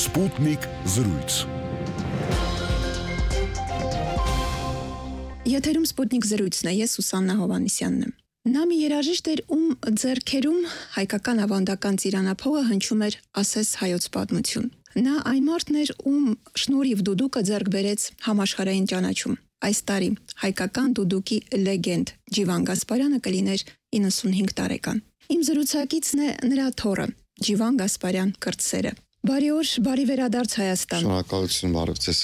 Սպուտնիկ զրույց։ Եթերում Սպուտնիկ զրույցն է, ես Սուսաննա Հովհաննիսյանն եմ։ Նա մի երաժիշտ էր, ում ձեռքերում հայկական ավանդական ծիրանափողը հնչում էր ասես հայոց պատմություն։ Նա այն մարդն էր, ում շնորհիվ դուդուկը ձեռք բերեց համաշխարհային ճանաչում։ Այս տարի հայկական դուդուկի լեգենդ Ջիվան Գասպարյանը կլիներ 95 տարեկան։ Իմ զրուցակիցն է նրա թոռը Ջիվան Գասպարյան կրտսերը։ Բարի օր, բարի վերադարձ Հայաստան։ Շնորհակալություն, բարև ձեզ։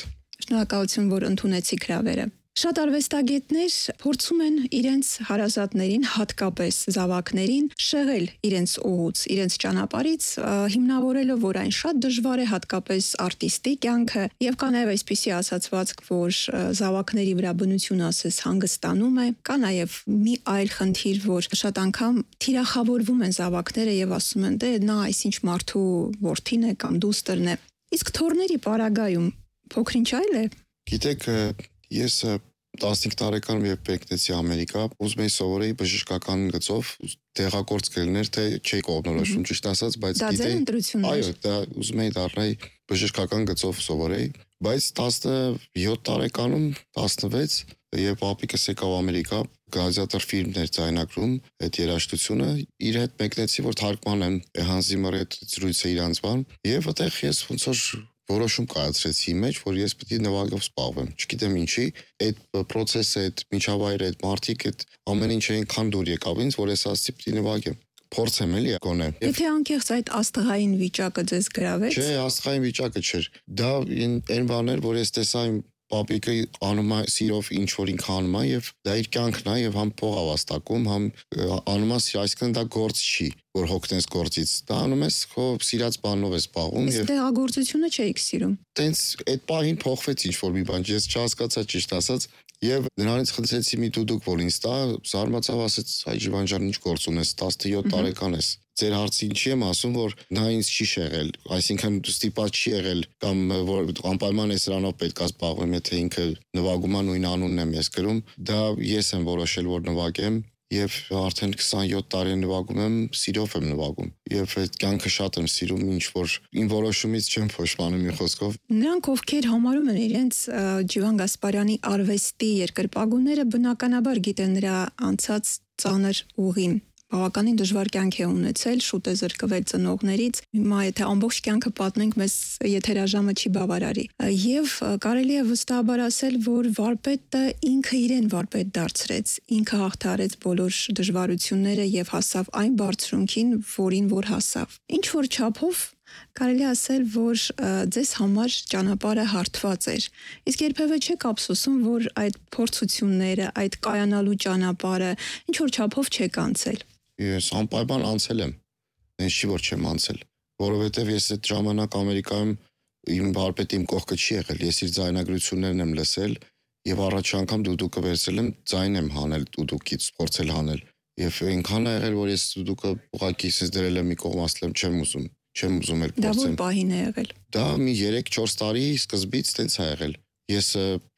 Շնորհակալություն, որ ընդունեցիք հրավերը։ Շատ արվեստագետներ փորձում են իրենց հարազատներին, հատկապես զավակներին, շեղել իրենց ուղուց, իրենց ճանապարհից, հիմնավորելով, որ այն շատ դժվար է, հատկապես արտիստի կյանքը, եւ կա նաեւ այսպիսի ասացվածք, որ զավակների վրա բնությունը ասես հանգստանում է, կա նաեւ մի այլ խնդիր, որ շատ անգամ թիրախավորվում են զավակները եւ ասում են, դե նա այսինչ մարդու որդին է կամ դուստրն է։ Իսկ թորների պարագայում փոքրինչ այլ է։ Գիտեք, ես 15 տարեկանում երբ եկնեցի Ամերիկա, ուզում էի սովորեի բժշկական գծով, տեղակորց կլիներ, թե չէի կողմնորոշում, ճիշտ ասած, բայց գիտեի, այո, դա ուզում էի դառնալ բժշկական գծով սովորեի, բայց 17 տարեկանում, 16, երբ պապիկս եկավ Ամերիկա, գլադիատոր ֆիլմներ ձայնագրում, այդ երաժշտությունը, իր հետ մեկնեցի, որ թարգմանեմ Hans Zimmer-ի հետ զրույցը իրանց բան, եւ այդտեղ ես ոնց որ որոշում կայացրեցի մեջ, որ ես պետք է նվագով զբաղվեմ։ Չգիտեմ ինչի, այդ process-ը, այդ միջավայրը, այդ մարդիկ, այդ ամեն ինչ այնքան դուր եկավ ինձ, որ ես ասացի պետք է նվագեմ։ Փորձեմ էլի գոնե։ Եթե անկեղծ այդ աստղային վիճակը ձեզ գրավեց։ Չէ, աստղային վիճակը չէր։ Դա այն բաներ, որ ես տեսա իմ պապիկը անում է սիրով ինչ որ ինքը անում է եւ դա իր կյանքն է եւ համ փող ավաստակում, համ անում է, այսինքն դա գործ չի, որ հոգնես գործից։ Դա անում ես քո սիրած բանով ես զբաղվում եւ տեղագործությունը չէիք սիրում։ Տենց այդ պահին փոխվեց ինչ որ մի բան, ես չհասկացա ճիշտ ասած եւ նրանից խնդրեցի մի դուդուկ որ ինձ տա, զարմացավ, ասեց հայ Ջիվան ջան, ինչ գործ ունես, 17 տարեկան ես։ Ձեր հարցին չի եմ ասում, որ նա ինձ չի շեղել, այսինքն ստիպած չի եղել կամ որ անպայման է սրանով պետք է զբաղվեմ, եթե ինքը նվագում է նույն անունն եմ ես գրում, դա ես եմ որոշել, որ նվագեմ եւ արդեն 27 տարի նվագում եմ, սիրով եմ նվագում եւ այդ կյանքը շատ եմ սիրում, ինչ որ իմ որոշումից չեմ փոշմանում մի խոսքով։ Նրանք ովքեր համարում են իրենց Ջիվան Գասպարյանի արվեստի երկրպագուները, բնականաբար գիտեն նրա անցած ծանր ուղին։ Բավականին դժվար կյանք է ունեցել, շուտ է զրկվել ծնողներից։ Հիմա եթե ամբողջ կյանքը պատմենք, մեզ եթերաժամը չի բավարարի։ Եվ կարելի է վստահաբար ասել, որ վարպետը ինքը իրեն վարպետ դարձրեց, ինքը հաղթահարեց բոլոր դժվարությունները եւ հասավ այն բարձրունքին, որին որ հասավ։ Ինչ որ չափով կարելի ասել, որ ձեզ համար ճանապարհը հարթված էր։ Իսկ երբևէ չեք ափսոսում, որ այդ փորձությունները, այդ կայանալու ճանապարհը ինչ որ չափով չեք անցել։ Ես անպայման անցել եմ, ինձ չի որ չեմ անցել, որովհետև ես այդ ժամանակ Ամերիկայում իմ վարպետը իմ կողքը չի եղել, ես իր ձայնագրություններն եմ լսել եւ առաջ անգամ դուդուկը վերցել եմ, ձայն եմ հանել դուդուկից, փորձել հանել եւ այնքան ա եղել, որ ես դուդուկը ուղղակի ինձ դրել եմ մի կողմ, ասել եմ չեմ ուզում էր փորձեմ։ Դա որ պահին է եղել։ Դա մի 3-4 տարի սկզբից տենց ա եղել։ Ես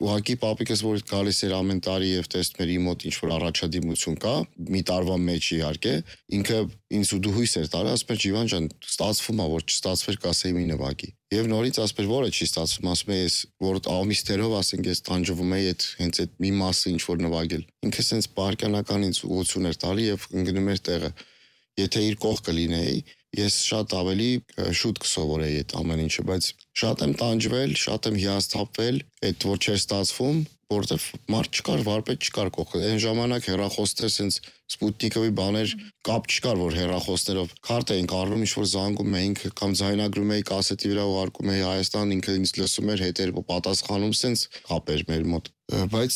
ուղղակի պապիկս որ գալիս էր ամեն տարի եւ տեսնում էր իմ մոտ ինչ որ առաջադիմություն կա, մի տարվա մեջ իհարկե, ինքը ինձ ու դուհույս էր տալի, ասում էր Ջիվան ջան, ստացվում է, որ չստացվեր կասեի մի նվագի։ Եվ նորից ասում էր, որը չի ստացվում, ասում է ես որ ամիսներով ասենք ես տանջվում եի այդ հենց այդ մի մասը ինչ որ նվագել։ Ինքը sense պարկանական ինձ ուղղություն էր տալի եւ ընկնում էր տեղը։ Եթե իր կողքը լինեի, ես շատ ավելի շուտ կսովորեի այդ ամեն ինչը, բայց շատ եմ տանջվել, շատ եմ հիասթափվել, այդ որ չէր ստացվում, որտեվ մարդ չկար, վարպետ չկար կողքը։ Այն ժամանակ հեռախոսներ sense Սպուտնիկովի բաներ կապ չկար, որ հեռախոսներով քարտ էինք առնում, ինչ որ զանգում էինք կամ ձայնագրում էի կասետի վրա ուղարկում էի Հայաստան, ինքը ինձ լսում էր, հետեր պատասխանում sense կապ էր մեր մոտ։ Բայց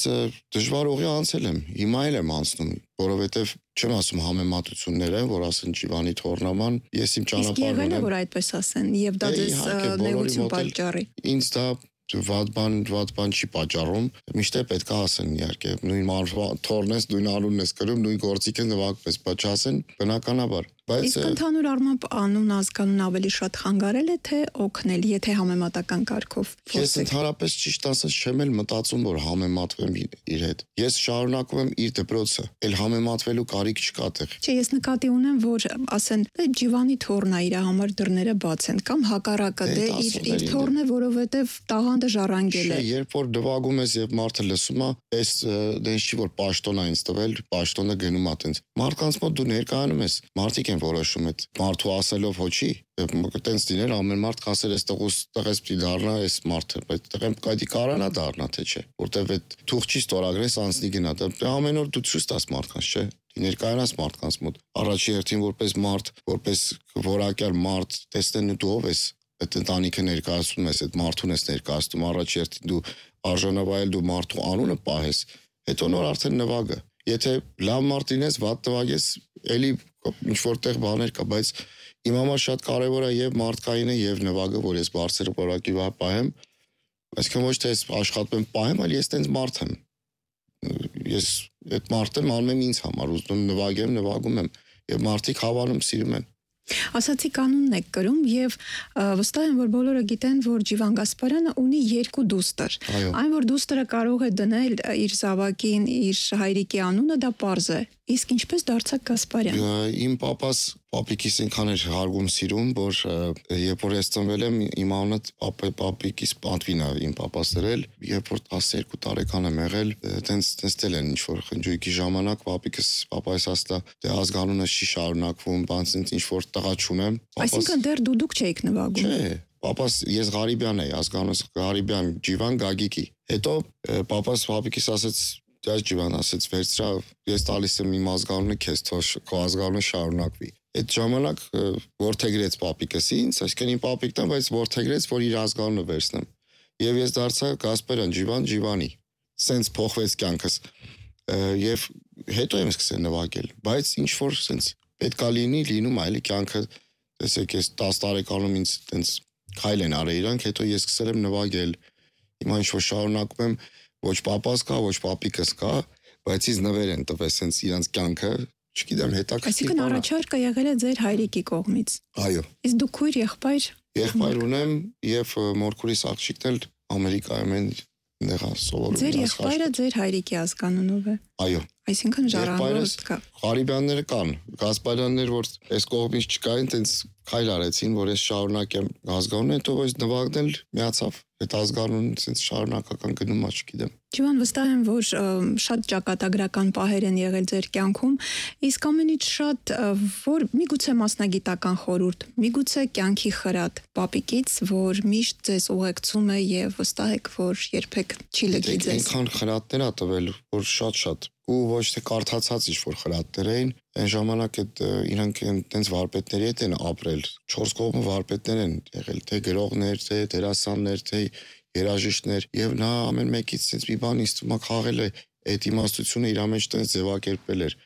դժվար ուղի անցել եմ, հիմա էլ եմ անցնում, որովհետև չեմ ասում համեմատությունները, որ ասեն Ջիվանի թորնաման, ես իմ ճանապարհն եմ։ Իսկ եղել է որ այդպես ասեն եւ դա ձեզ նեղություն պատճառի։ Ինձ դա վատ բան չի պատճառում, միշտ է պետք է ասեն իհարկե, նույն թորնես, նույն անունն ես կրում, նույն գործիքը նվագպես, բայց չասեն բնականաբար։ Բայց իսկ ընդհանուր առմամբ անուն ազգանուն ավելի շատ խանգարել է թե օգնել, եթե համեմատական կարգով Ես ընդհանրապես ճիշտ ասած չեմ էլ մտածում, որ համեմատվեմ իր հետ։ Ես շարունակում եմ իր դպրոցը, էլ համեմատվելու կարիք չկա տեղ։ Չէ, ես նկատի ունեմ, որ ասեն, Ջիվանի թորն է, իր համար դռները բաց են, կամ հակառակը, իր թորն է, որովհետև տաղանդը ժառանգել է։ Երբ որ նվագում ես եւ մարդը լսում է, այս դենս չի որ պաշտոն է ինձ տվել, պաշտոնը գնում է տենց։ Մարդկանց մոտ դու ներկայանում ես, մարդիկ են որոշում այդ մարդու ասելով հոչի, տենց դիներ ամեն մարդ կասեր այստեղս պիտի դառնա այս մարդը, բայց տղեմ կայդի կարանա դառնա թե չէ, որտեվ այդ թուղթ չի ստորագրես անցնի գնա, դա ամեն օր դու ցույց տաս մարդկանց, չէ։ Ներկայանաս մարդկանց մոտ առաջի հերթին որպես մարդ, որպես որակյալ մարդ, տեսնեն դու ով ես, այդ ընտանիքը ներկայացնում ես, այդ մարդուն ես ներկայացնում, առաջի հերթին դու արժանավայել դու մարդու անունը պահես, հետո նոր արդեն նվագը։ Եթե լավ մարդ լինես, վատ նվագես, էլի ինչ որտեղ բաներ կա, բայց իմ համար շատ կարևոր է եւ մարդկայինը եւ նվագը, որ ես բարձր որակի վրա պահեմ, այսինքն ոչ թե ես աշխատում եմ պահեմ, այլ ես տենց մարդ եմ։ Ես այդ մարդը անում եմ ինձ համար, ուզում նվագեմ, նվագում եմ եւ մարդիկ հավանում սիրում են։ Ասացի կանունն եք կրում եւ վստահ եմ, որ բոլորը գիտեն, որ Ջիվան Գասպարյանը ունի 2 դուստր։ Այն, որ դուստրը կարող է դնել իր զավակին, իր հայրիկի անունը, դա պարզ է։ Իսկ ինչպես դարձավ Գասպարյան։ Իմ պապիկիս ինքան էր հարգում սիրում, որ երբ որ ես ծնվել եմ, իմ անունը պապիկիս պատվին է իմ պապաս դրել, երբ որ 12 տարեկան եմ եղել, տենց դել են ինչ որ խնջույքի ժամանակ պապայս ասա, դե ազգանունը չի շարունակվում, բանց ինչ որ տղա չունեմ։ Այսինքն դեռ դուք չէիք նվագում։ Չէ, պապաս ես Ղարիբյան էի, ազգանունս Ղարիբյան, Ջիվան Գագիկի։ Հետո պապաս պապիկիս ասեց Դες Ջիվան ասեց վերցրա, ես տալիս եմ իմ ազգանունը քեզ, թող քո ազգանունը շարունակվի։ Այդ ժամանակ որդեգրեց պապիկս ինձ, այսինքն իմ պապիկն է, բայց որդեգրեց, որ իր ազգանունը վերցնեմ։ Եվ ես դարձա Գասպարյան, Ջիվանի։ Սենց փոխվեց կյանքս։ Եվ հետո եմ սկսել նվագել, բայց ինչ որ սենց պետքա լինում է, էլի կյանքը, տեսեք, ես 10 տարեկանում ինձ տենց քայլ են արել իրանք, հետո ես սկսել եմ նվագել։ Հիմա ինչ որ շարունակում եմ ոչ պապաս կա, ոչ պապիկս կա, բայց ինձ նվեր են տվել սենց իրանց կյանքը, չգիտեմ, հետաքրքիր։ Այսինքն առաջարկը եղել է ձեր հայրիկի կողմից։ Այո։ Իսկ դուք քույր եղբայր։ Եղբայր ունեմ եւ մորքուրիս աղջիկն էլ Ամերիկայում են դեղա սովորում։ Ձեր եղբայրը ձեր հայրիկի ազգանունով է։ Այո։ Այսինքն ժառանգորդ կա։ Ղարիբյանները կան, Գասպարյաններ, որ այս կողմից չկային, տենց քայլ արեցին, որ ես շարունակեմ ազգանունը, հետո ես նվագնել միացավ։ Այդ ազգանունը ցենց շարունակական գնում է, չգիտեմ։ Ջիվան, վստահ եմ, որ շատ ճակատագրական պահեր են եղել ձեր կյանքում, իսկ ամենից շատ որ միգուցե մասնագիտական խորհուրդ, միգուցե կյանքի խրատ պապիկից, որ միշտ ձեզ ուղեկցում է եւ վստահ եք, որ երբեք չի լքի ձեզ։ Այնքան խրատներ ա տվել, որ շատ ու ոչ թե կարդացած ինչ-որ խրատներ էին, այն ժամանակ այդ իրանք այնտենց վարպետների հետ են ապրել, 4 կողմը վարպետներ են եղել, թե գրողներ, թե դերասաններ, թե երաժիշտներ, եւ նա ամեն մեկից sense մի բան ինձ թվում է խաղել է այդ իմաստությունը իր մեջ տենց ձևակերպել էր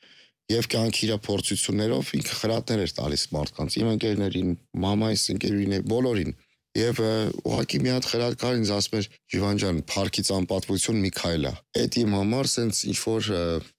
եւ կյանքի իր փորձություններով ինքը խրատներ էր տալիս մարդկանց, իմ ընկերներին, մամայիս ընկերուին, բոլորին։ Եվ ուղղակի մի հատ խրատ կար ինձ ասում էր Ջիվան ջան, Փարքից անպատվություն Միքայելա։ Այդ իմ համար sense ինչ որ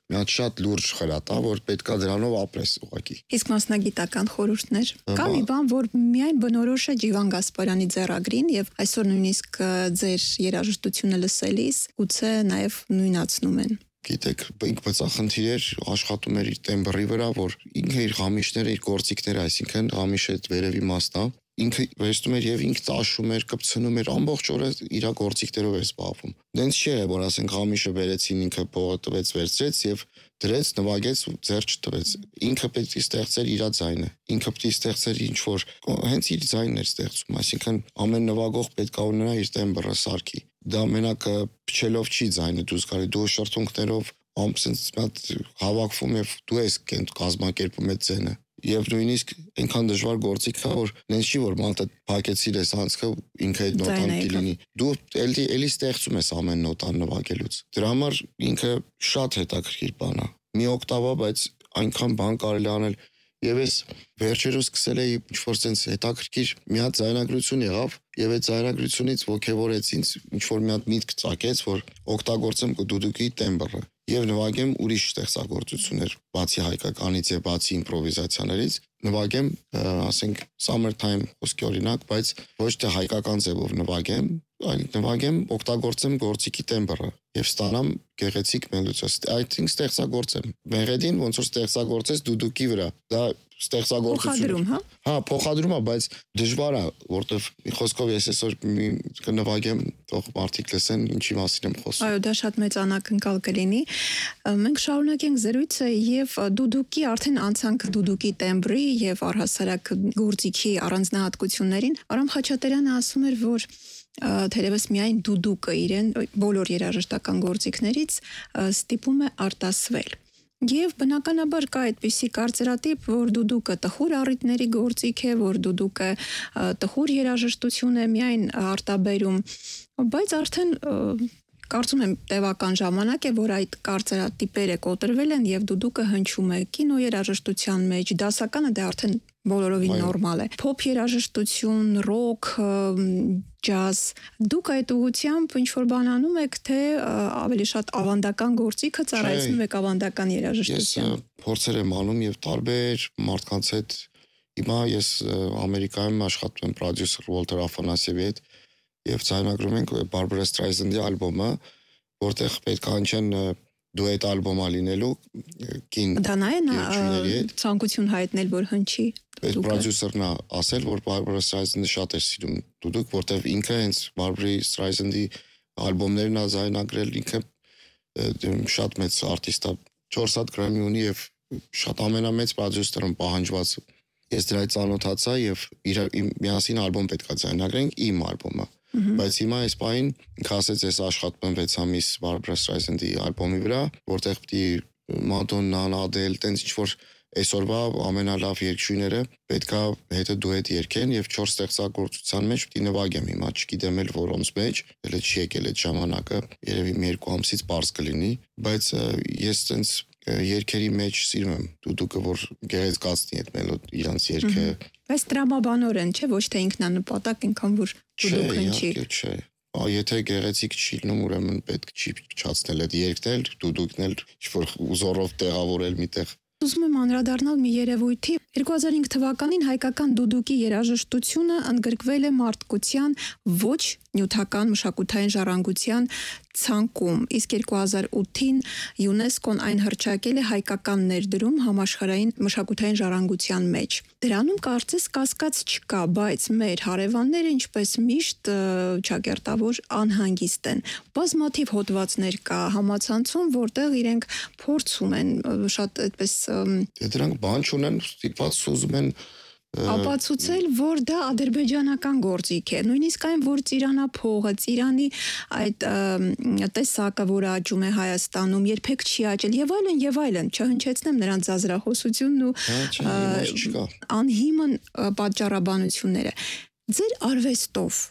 մի հատ շատ լուրջ խրատ է, որ պետքա դրանով ապրես ուղղակի։ Իսկ մասնագիտական խորհուրդներ կա մի բան, որ միայն բնորոշ է Ջիվան Գասպարյանի ձեռագրին եւ այսօր նույնիսկ ձեր երաժշտությունը լսելիս գուցե նաեւ նույնացնում են։ Գիտեք, ինքը բծախնդիր էր, աշխատում էր իր տեմբրի վրա, որ ինքը իր գամիշները, իր գործիքները, այսինքն գամիշը այդ վերևի մասն է, ինքը վերցնում էր եւ ինքը տաշում էր, կպցնում էր, ամբողջ օրը իր գործիքներով էր զբաղվում։ Դենց չէ, որ ասենք գամիշը վերեցին, ինքը փողը տվեց, վերցրեց եւ դրեց, նվագեց ու ձեռ չտվեց։ Ինքը պետք է ստեղծեր իր ձայնը։ Ինքը պետք է ստեղծեր ինչ որ հենց իր ձայնն էր ստեղծում, այսինքն ամեն նվագող պետք է ունենա իր տեմբրը սարքի։ Դա մենակ փչելով չի ձայնը դուրս գալի, դու շրթունքներով ամսից մատ հավաքվում եւ դու ես կազմակերպում այդ ձայնը։ Եվ նույնիսկ այնքան դժվար գործիք է, որ նենց չի որ մալտը փակեցիր ես անցքը ինքը այդ նոտան կլինի։ Դու էլի ստեղծում ես ամեն նոտան նվագելուց։ Դրա համար ինքը շատ հետաքրքիր բան է։ Մի օկտավա, բայց այնքան բան կարելի անել։ Եվ ես վերջերս սկսել էի ինչ-որ sense հետաքրքիր մի հատ ձայնագրություն եղավ, եւ այդ ձայնագրությունից ոգևորեց ինձ ինչ-որ մի հատ միտք ծագեց, որ օգտագործեմ դուդուկի տեմբրը եւ նվագեմ ուրիշ ստեղծագործություններ, բացի հայկականից եւ բացի իմպրովիզացիաներից, նվագեմ, ասենք summertime խոսքի օրինակ, բայց ոչ թե հայկական ձևով նվագեմ, այլ նվագեմ, օգտագործեմ գործիքի տեմբրը եւ ստանամ գեղեցիկ մելոդիա։ Այսինքն ստեղծագործեմ։ Մեղեդին ոնց որ ստեղծագործես դուդուկի վրա։ Դա ստեղծագործություն։ Հա, փոխադրում է, բայց դժվար է, որտեվ խոսքով ես այսօր կնվագեմ, թող մարդիկ լսեն ինչի մասին եմ խոսում։ Այո, դա շատ մեծ անակնկալ կլինի։ Մենք շարունակենք զրույցը եւ դուդուկի արդեն անցանք դուդուկի տեմբրի եւ առհասարակ գործիքի առանձնահատկություններին։ Արամ Խաչատրյանը ասում էր, որ թերևս միայն դուդուկը իրեն բոլոր երաժշտական գործիքներից ստիպում է արտասվել։ Եվ բնականաբար կա այդպիսի կարծրատիպ, որ դուդուկը տխուր առիթների գործիք է, որ դուդուկը տխուր երաժշտություն է միայն արտաբերում, բայց արդեն կարծում եմ տևական ժամանակ է, որ այդ կարծրատիպերը կոտրվել են եւ դուդուկը հնչում է կինո երաժշտության մեջ, դասականը դա արդեն բոլորովին նորմալ է։ Փոփ երաժշտություն, ռոք, ջազ, դուք այդ ուղղությամբ ինչ որ բան անում եք, թե ավելի շատ ավանդական գործիքը ծառայեցնում եք ավանդական երաժշտության։ Ես փորձեր եմ անում եւ տարբեր մարդկանց հետ հիմա ես Ամերիկայում աշխատում եմ պրոդյուսեր Ուոլթեր Աֆանասյևի հետ եւ ցայնագրում ենք Barbra Streisand-ի ալբոմը, որտեղ պետք է հնչեն դուետ ալբոմա լինելու կին։ Դա նա է ցանկություն հայտնել, որ հնչի։ Այդ պրոդյուսերն է ասել, որ Barbra Streisand-ը շատ է սիրում դուդուկ, որտեղ ինքը հենց Barbra Streisand-ի ալբոմներն է զայնագրել, ինքը շատ մեծ արտիստ է, 4 հատ Grammy ունի եւ շատ ամենամեծ պրոդյուսերն պահանջված։ Ես դրանից ծանոթացա եւ միասին ալբոմ պետք է զայնագրենք, իմ ալբոմը։ Բայց հիմա այս պահին ինքը ասեց, ես աշխատում եմ 6 ամիս Barbra Streisand-ի ալբոմի վրա, որտեղ պիտի Madonna-ն, Adele, տենց ինչ որ այսօրվա ամենալավ երգչուհիները պետքա հետը դուետ երգեն եւ 4 ստեղծագործության մեջ պիտի նվագեմ հիմա, չգիտեմ էլ որոնց մեջ, էլ չի եկել այդ ժամանակը, երևի մի 2 ամսից པարզ կլինի, բայց ես տենց երգերի մեջ սիրում եմ դուդուկը, որ գեղեցկացնի այդ մելոդ իրանց երգը։ Բայց տրամաբանորեն, չէ, ոչ թե ինքնանպատակ, այնքան որ դուդուկ հնչի։ Չէ։ Եթե գեղեցիկ չի լինում, ուրեմն պետք չի փչացնել այդ երգնել, դուդուկնել, ինչ-որ ուզորով տեղավորել միտեղ։ Ուզում եմ անդրադառնալ մի երևույթի։ 2005 թվականին հայկական դուդուկի երաժշտությունը ընդգրկվել է մարդկության ոչ նյութական մշակութային ժառանգության ցանկում, իսկ 2008-ին ՅՈՒՆԵՍԿՕ-ն այն հռչակել է հայկական ներդրում համաշխարհային մշակութային ժառանգության մեջ։ Դրանում կարծես կասկած չկա, բայց մեր հարևանները ինչպես միշտ ճակերտավոր անհանգիստ են։ Բազմաթիվ հոդվածներ կա համացանցում, որտեղ իրենք փորձում են շատ այդպես դրանք բան չունեն, ստիպված ուզում են ապացուցել, որ դա ադրբեջանական գործիք է, նույնիսկ այն, որ ծիրանափողը, ծիրանի այդ տեսակը, որը աճում է Հայաստանում, երբեք չի աճել եւ այլն, չհնչեցնեմ նրանց զազրախոսությունն ու անհիմն պատճառաբանությունները։ Ձեր արվեստով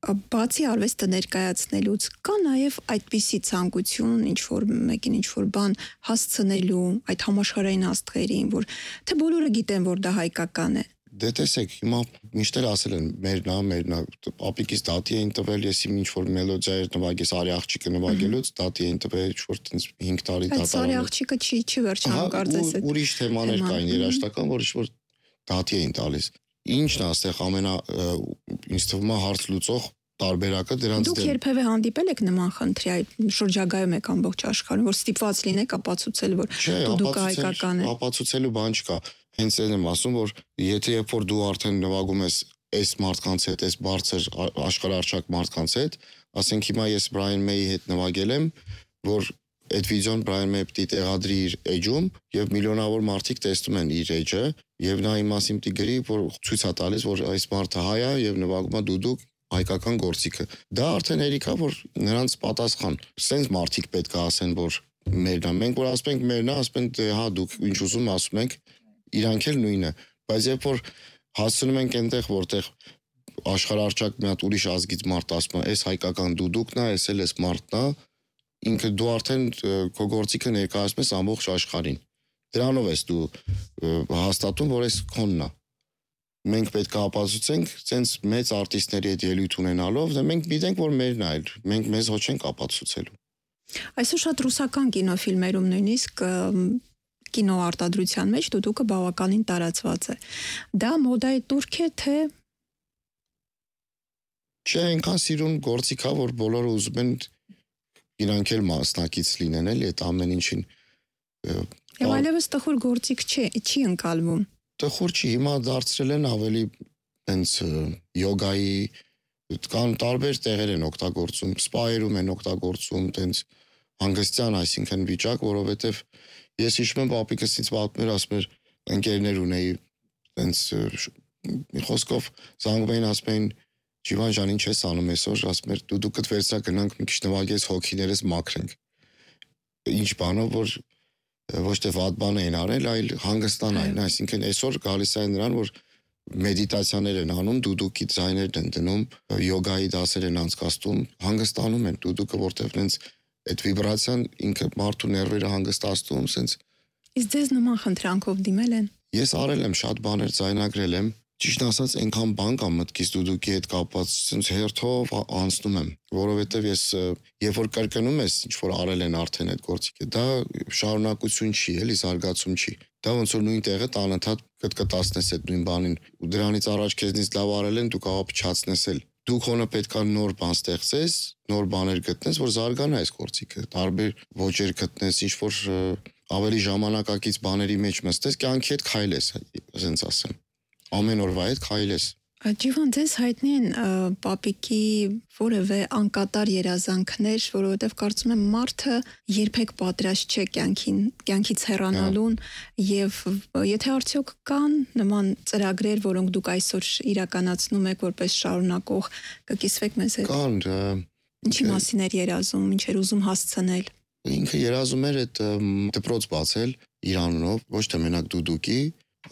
բացի արվեստը ներկայացնելուց կա նաև այդպիսի ցանկություն ինչ որ մեկին ինչ որ բան հասցնելու այդ համաշխարհային աստղերին, որ թե բոլորը գիտեն, որ դա հայկական է։ Դե տեսեք, հիմա միշտ էլ ասել են մերնա, ապիկից դատի էին տվել, ես իմ ինչ որ մելոդիա էր նվագես Արի աղջիկը նվագելուց, դատի էին տվել ինչ որ տենց 5 տարի դատարան։ Արի աղջիկը չի վերջանում կարծես այդ։ Ուրիշ թեմաներ կային երաժշտական, որ ինչ որ դատի էին տալիս։ Ինչն է այստեղ ինձ թվում է հարց լուծող տարբերակը դրանց դուք երբևէ հանդիպել եք նման խնդրի այդ շրջագայում եք ամբողջ աշխարհում, որ ստիպված լինեք ապացուցել, որ դուք հայկական եք։ Ապացուցելու բան չկա։ Հենց այն եմ ասում, որ եթե երբ որ դու արդեն նվագում ես այս մարդկանց հետ, այս բարձր աշխարհարչակ մարդկանց հետ, ասենք հիմա ես Brian May-ի հետ նվագել եմ, որ այդ վիդեոն Brian May պիտի տեղադրի իր էջում եւ միլիոնավոր մարդիկ տեսնում են իր էջը եւ նա իմ մասին պիտի գրի, որ ցույց է տալիս, որ այս մարդը հայ է եւ նվագում է դուդուկ հայկական գործիքը։ Դա արդեն հերիք է, որ նրանց պատասխան։ Սենց մարդիկ պետք է ասեն, որ մերն է։ Մենք որ ասում ենք մերն է, ասում ենք դե հա դուք ինչ ուզում ասում եք, իրանք էլ նույնը։ Բայց երբ որ հասցնում ենք այնտեղ, որտեղ աշխարհարչակ մի հատ ուրիշ ազգից մարդ ասում է, այս հայկական դուդուկն է, այս էլ էս մարդն է, ինքը դու արդեն քո գործիքը ներկայացնում ես ամբողջ աշխարհին։ Դրանով ես դու հաստատում, որ այս քոնն է։ Մենք պետք է ապացուցենք, ցենց մեծ արտիստների հետ ելույթ ունենալով, դե մենք գիտենք, որ մերն է, մենք մեզ ոչ ենք ապացուցելու։ Այսօր շատ ռուսական կինոֆիլմերում նույնիսկ կինոարտադրության մեջ դուդուկը բավականին տարածված է։ Դա մոդայի տուրք է, թե Չէ, այնքան սիրուն գործիք է, որ բոլորը ուզում են իրանք էլ մասնակից լինեն էլի այդ ամեն ինչին։ Եվ այլևս տխուր գործիք չի ընկալվում։ Տխուր չի, հիմա դարձրել են ավելի հենց յոգայի կան տարբեր տեղեր են օգտագործում, սպայերում են օգտագործում, տենց հանգստյան, այսինքն վիճակ, որովհետև ես հիշում եմ պապիկս ինձ պատմել, ասում էր ընկերներ ունեի, տենց մի խոսքով զանգում էին, ասում էին Ջիվան ջան, ինչ ես անում այսօր, ասում էր դու դուքդ վերցրա գնանք մի քիչ նվագես հոգիներս մաքրենք։ Ինչ բանով, որ ոչ թե վատ բան էին արել, այլ հանգստանային, այսինքն այսօր գալիս է նրան, որ մեդիտացիաներ են անում, դուդուկի ձայներն են դնում, յոգայի դասեր են անցկացնում, հանգստանում են դուդուկը, որտեղ նենց այդ վիբրացիան ինքը մարդու ներվերը հանգստացնում, սենց։ Իսկ ձեզ նման խնդրանքով դիմել են։ Ես արել եմ շատ բաներ, ձայնագրել եմ, ճիշտ ասած այնքան բան կա մտքից դուդուկի հետ կապված, սենց հերթով անցնում եմ, որովհետև ես երբ որ կրկնում ես, ինչ որ արել են արդեն այդ գործիքը, դա շարունակություն չի, էլի զարգացում չի։ Դա ոնց որ նույն տեղը անընդհատ կտկտացնես այդ նույն բանին, ու դրանից առաջ քեզնից լավ արել են, դու կարող փչացնես էլ։ Դու քոնը պետք է նոր բան ստեղծես, նոր բաներ գտնես, որ զարգանա այս գործիքը, տարբեր ոճեր գտնես, ինչ որ ավելի ժամանակակից բաների մեջ մստես, կյանքի հետ քայլես, ասենց ասեմ։ Ամեն օրվա հետ քայլես։ Ջիվան, ձեզ հայտնի են պապիկի որևէ անկատար երազանքներ, որովհետև կարծում եմ մարդը երբեք պատրաստ չէ կյանքից հեռանալուն, եւ եթե արդյոք կան նման ծրագրեր, որոնք դուք այսօր իրականացնում եք որպես շարունակող, կկիսվեք մեզ հետ։ Կան։ Ինչի մասին էր երազում, ինչ էր ուզում հասցնել։ Ինքը երազում էր այդ դպրոց բացել իր անունով, ոչ թե մենակ դուդուկի,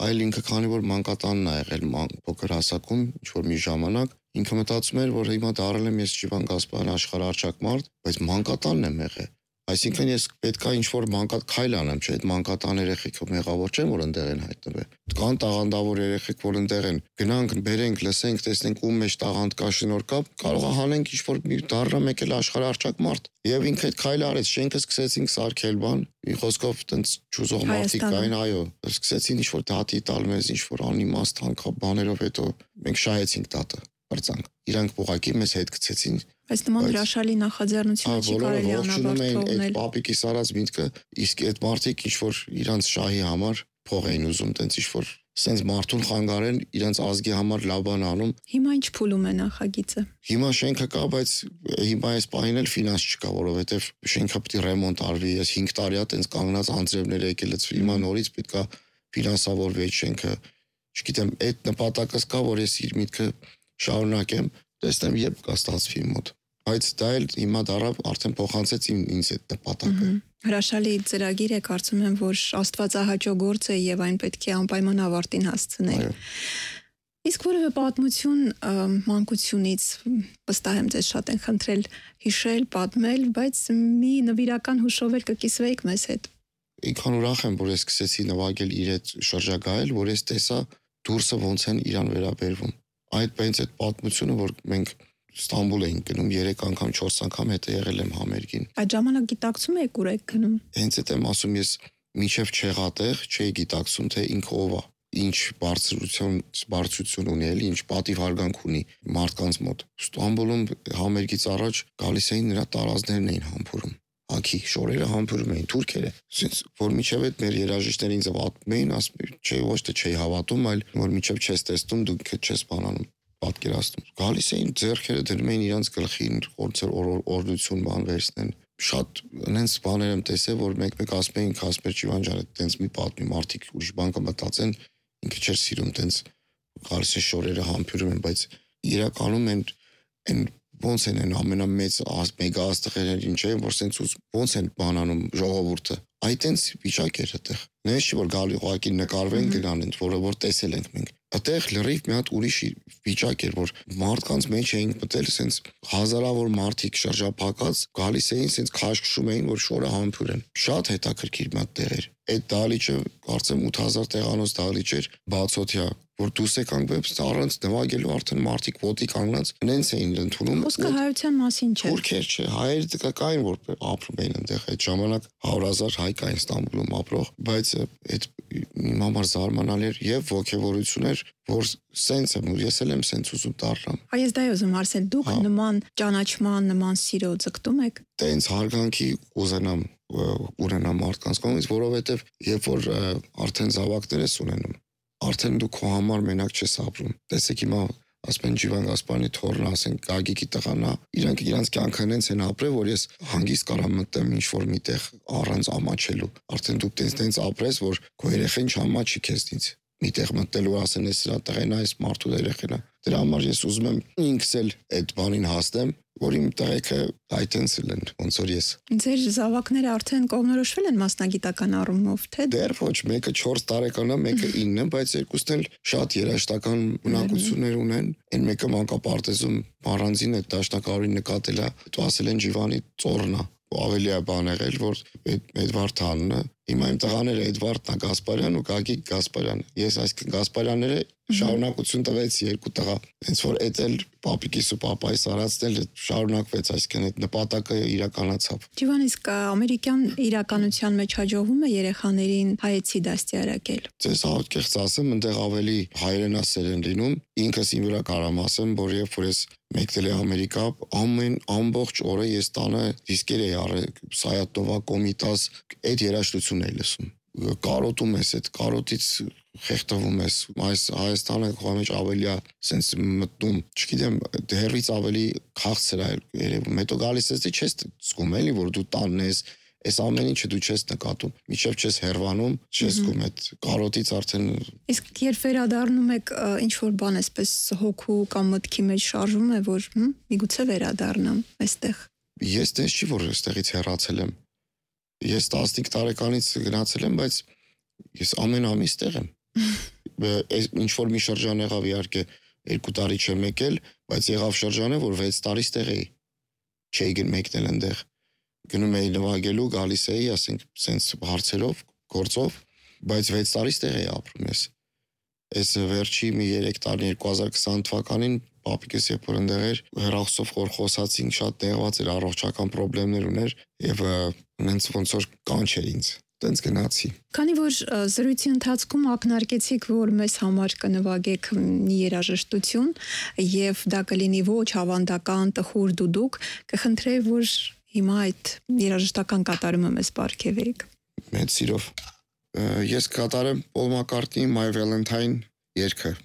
այլ ինքը քանի որ մանկատանն է եղել փոքր հասակում, ինչ որ մի ժամանակ, ինքը մտածում էր, որ հիմա դառել եմ ես Ջիվան Գասպարյան աշխարհարչակ մարդ, բայց մանկատանն եմ եղել։ Այսինքն ես պետքա ինչ որ քայլ անեմ, չէ՞, այդ մանկատան երեխեքը մեղավոր չեն, որ ընդեղ են հայտնվել։ Կան տաղանդավոր երեխեք, որ ընդեղ են։ Գնանք, բերենք, լսենք, տեսնենք ում մեջ տաղանդ կա, շնորհ կա, կարող է հանենք ինչ որ դառնա մեկ էլ աշխարհարչակ մարդ։ Եվ ինքը այդ քայլը արեց, շենքը սկսեցինք սարքել բան, մի խոսքով տենց ճուզող մարդիկ կային, այո, սկսեցին ինչ որ դատի տալ մեզ, ինչ որ անիմաստ անկա բաներով, հետո մենք շահեցինք դատը, բրծանք։ Իրանք ուղղակի մեզ հետ գցեցին։ Բայց նման հրաշալի նախաձեռնությունը չի կարելի անաբարտ թողնել։ Այդ պապիկի սարած միտքը, իսկ այդ մարդիկ ինչ որ իրանց շահի համար փող էին ուզում, տենց ինչ որ սենց մարդուն խանգարեն, իրանց ազգի համար լավ բան անում։ Հիմա ինչ փուլում է նախագիծը։ Հիմա շենքը կա, բայց հիմա այս պահին էլ ֆինանս չկա, որովհետև շենքը պետք է ռեմոնտ արվի, ես 5 տարի է տենց կանգնած անձրևներ եկել, հիմա նորից պետք է ֆինանսավորվի այդ շենքը։ Չգիտեմ, այդ նպատակս կա, որ ես իր միտքը շարունակեմ, տեսնեմ երբ կստացվի մոտ։ Բայց դա էլ հիմա դարավ արդեն փոխանցեց ինձ այդ նպատակը։ Հրաշալի ծրագիր է, կարծում եմ, որ աստվածահաճո գործ է եւ այն պետք է անպայման ավարտին հասցնել։ Իսկ որևէ պատմություն մանկությունից վստահ եմ ձեզ շատ են խնդրել հիշել, պատմել, բայց մի նվիրական հուշով էլ կկիսվեիք մեզ հետ։ Ինքան ուրախ եմ, որ ես սկսեցի նվագել իր հետ շրջագայել, որ ես տեսա դուրսը ոնց են իրան վերաբերվում։ Այդ պատմությունը, որ մենք Ստամբուլ էինք գնում 3 անգամ 4 անգամ հետը եղել եմ համերգին։ Այդ ժամանակ գիտակցում եք ուր եք գնում։ Հենց այդ եմ ասում, ես մինչև չեղատեղ չէի գիտակցում, թե ինքը ով է, ինչ բարձրություն ունի, էլի ինչ պատիվ հարգանք ունի մարդկանց մոտ։ Ստամբուլում համերգից առաջ գալիս էին նրա տարազներն էին համբուրում։ Ակի շորերը համբուրում էին թուրքերը։ Ասենց որ մինչև այդ մեր երաժիշտները ինձ պատմում էին, ասում չէ ոչ թե չէի հավատում, այլ որ մինչև չես տեսնում, դու չես բանանում։ Պատկերացնում։ Գալիս էին ձեռքերը դնում էին իրանց գլխին, օրդություն բան վերցնեն։ Շատ այնց բաներ եմ տեսել, որ մեկ ասում էին Կասպեր Ջիվան ջան, այդտենց մի պատմի մարդիկ ուրիշ բան կմտածեն, ինքը չէր սիրում տենց գալիս է շորերը համբուրում են, բայց իրականում են ոնց են ամենամեծ մեգա աստղերն ինչ է, որ սենց ոնց են բանանում ժողովուրդը։ Այդտենց վիճակ էր այդտեղ։ Նույնիսկ որ գալի ուղակի նկարվեն գնան, որը որ տեսել ենք մենք։ Այդտեղ լրիվ մի հատ ուրիշ վիճակ էր, որ մարդկանց մեջ էին մտել սենց հազարավոր մարդիկ շրջափակած, գալիս էին սենց քաշքշում էին, որ շորը համբուրեն։ Շատ հետաքրքիր մի հատ տեղ էր։ Այդ դահլիճը կարծեմ 8000 տեղանոց դահլիճ էր, բացօթյա որ դուս եք անգամ առանց նվագելու արդեն մարդիկ ոտի կանգնած նենց էին ընդունում։ Խոսքը հայության մասին չէ։ Թուրքեր չէ, հայերը կային որ ապրում էին այնտեղ այդ ժամանակ 100,000 հայ կային Ստամբուլում ապրող, բայց այդ իմ համար զարմանալի էր եւ ոգևորություն էր, որ սենց եմ ու ես էլ եմ սենց ուզում դառնամ։ Այս դա ուզում ասել, դուք նման ճանաչման, նման սիրո ձգտում եք։ Տենց հարգանքի ուզենամ ունենամ մարդկանց կողմից, որովհետեւ երբ որ արդեն զավակներ ես ունենում, արդեն դու քո համար մենակ չես ապրում։ Տեսեք հիմա ասում են Ջիվան Գասպարյանի թորն, ասենք Գագիկի տղան, իրանց կյանքը նենց են ապրել, որ ես հանգիստ կարամ մտնեմ ինչ-որ միտեղ առանց ամաչելու։ Արդեն դու տենց ապրես, որ քո երեխան չամաչի քեզնից։ Միտեղ մտնելու ասեն ես սրա տղեն, այս մարդու երեխան է։ Դրա համար ես ուզում եմ ինքս էլ այդ բանին հասնեմ, որ իմ տղեկը այտենցել են, ոնց որ ես։ Ձեր զավակները արդեն կողմնորոշվել են մասնագիտական առումով, թե դեռ ոչ, մեկը 4 տարեկան է, մեկը 9, բայց երկուսն էլ շատ երաժշտական ունակություններ ունեն։ Այն մեկը մանկապարտեզում առանձին է դաշնակարին նկատել է, դու ասել են Ջիվանի ծորն է, ավելի է բան եղել, որ Էդվարդ անունը, հիմա իմ տղաները Էդվարդն է Գասպարյան ու Գագիկ Գասպարյան։ Ես այսինքն Գասպարյանները շարունակություն տվեց երկու տղա։ Հենց որ էդ էլ պապիկիս ու պապայիս արածն էլ շարունակվեց, այսինքն այդ նպատակը իրականացավ։ Ջիվան, իսկ ամերիկյան իրականության մեջ հաջողվում է երեխաներին հայեցի դաստիարակել։ Ձեզ ահոտ ասեմ, այնտեղ ավելի հայրենասեր են լինում։ Ինքս իմ վրա կարամ ասեմ, որ երբ որ ես մեկնել եմ Ամերիկա, ամբողջ օրը ես տանը դիսկեր էի առել, Սայաթովա, Կոմիտաս, այդ երաժշտությունն էի լսում։ Կարոտում ես, այդ կարոտից խեղդվում ես, այս Հայաստանը քո մեջ ավելի է սենց մտնում, չգիտեմ, դեռից ավելի քաղցր է երևում, հետո գալիս ես չես զգում էլի, որ դու տանն ես, այս ամեն ինչը դու չես նկատում, մինչև չես հերվանում, չես զգում այդ կարոտից արդեն։ Իսկ երբ վերադառնում եք, ինչ որ բան էսպես հոգու կամ մտքի մեջ շարժվում է, որ միգուցե վերադառնամ այստեղ։ Ես դες չի որ այստեղից հեռացել եմ։ Ես 15 տարեկանից գնացել եմ, բայց ես ամեն ամիս տեղ եմ։ Ինչ որ մի շրջան եղավ իհարկե 2 տարի չեմ եկել, բայց եղավ շրջանը, որ 6 տարի ստեղ էի։ Չէի մեկնել այնտեղ։ Գնում էի նվագելու, գալիս էի, ասենք, սենց հարցերով, գործով, բայց 6 տարի ստեղ էի ապրում ես։ Այս վերջի մի 3 տարի 2020 թվականին պապիկս երբ որ այնտեղ էր, հեռախոսով որ խոսացինք, շատ տեղված էր, առողջական խնդիրներ ուներ եւ նենց ոնց որ կանչեր ինձ։ Տենց գնացի։ Քանի որ զրույցի ընթացքում ակնարկեցիք, որ մեզ համար կնվագեք մի երաժշտություն եւ դա կլինի ոչ ավանդական, տխուր դուդուկ, կխնդրեի, որ հիմա այդ երաժշտական կատարումը մեզ պարգևեք։ Մեծ սիրով։ Ես կատարեմ Paul McCartney My Valentine երգը։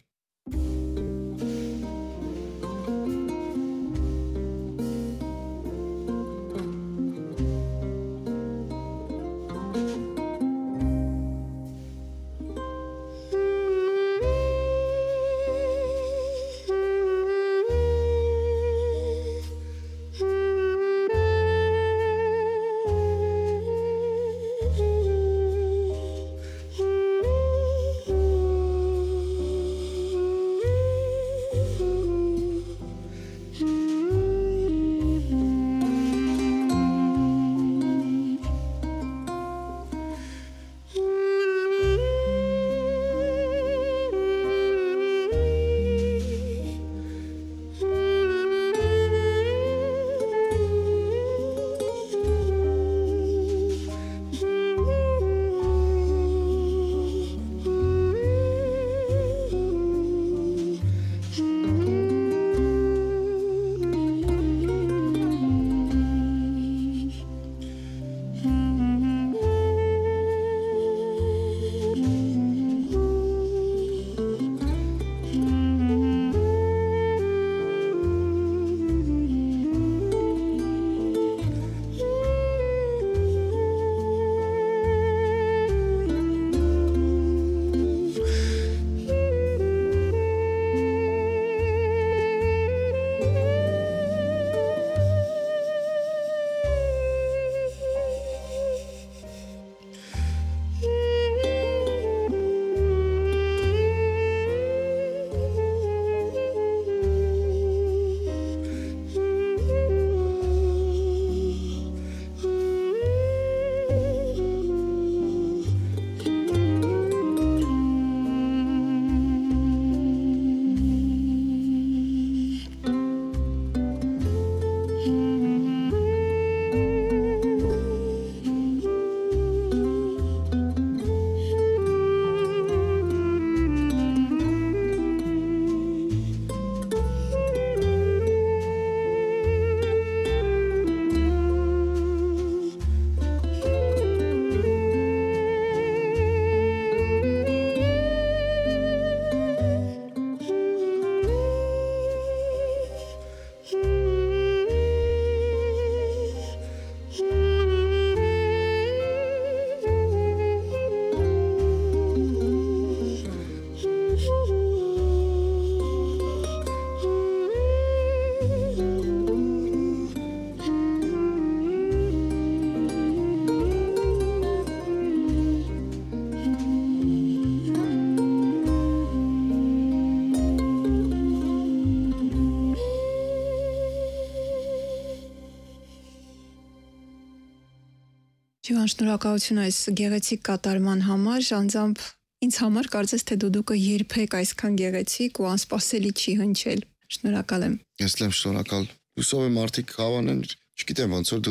Ջիվան, շնորհակալություն այս գեղեցիկ կատարման համար, անձամբ ինձ համար կարծես թե դուդուկը երբեք այսքան գեղեցիկ ու անսպասելի չի հնչել։ Շնորհակալ եմ։ Ես եմ շնորհակալ։ Հուսով եմ մարդիկ հավանեն, չգիտեմ ոնց որ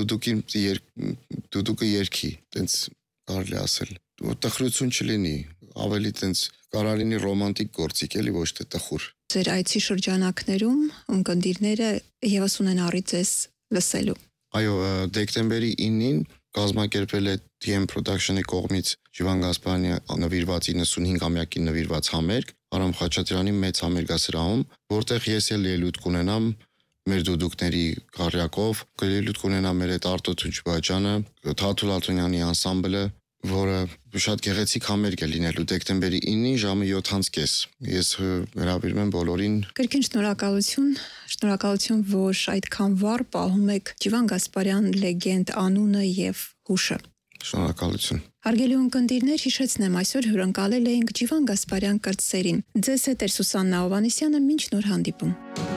դուդուկը երգի, տենց կարելի ասել։ Որ տխրություն չլինի, ավելի տենց կարա լինի ռոմանտիկ գործիք, էլի ոչ թե տխուր։ Ձեր այցի շրջանակներում ունկնդիրները եւս ունեն առիթ ձեզ լսելու։ Այո, դեկտեմբերի 9-ին կազմակերպել է TM Production-ի կողմից Ջիվան Գասպարյանի նվիրված 95-ամյակին նվիրված համերգ Արամ Խաչատրյանի մեծ համերգասրահում, որտեղ ես էլ ելույթ կունենամ մեր դուդուկների քարյակով, ելույթ կունենամ մեր այդ Արտո Թունջբաջյանը, Թաթուլ Ալթունյանի անսամբլը, որը շատ գեղեցիկ համերգ է լինելու դեկտեմբերի 9-ին ժամը 7:30։ Ես հրավիրում եմ բոլորին։ Կրկին շնորհակալություն, որ այդքան վառ պահում եք Ջիվան Գասպարյան լեգենդ անունը եւ հուշը։ Շնորհակալություն։ Հարգելի ունկնդիրներ, հիշեցնեմ, այսօր հյուրընկալել էինք Ջիվան Գասպարյան կրտսերին։ Ձեզ հետ էր Սուսաննա Հովհաննիսյանը, մինչ նոր հանդիպում։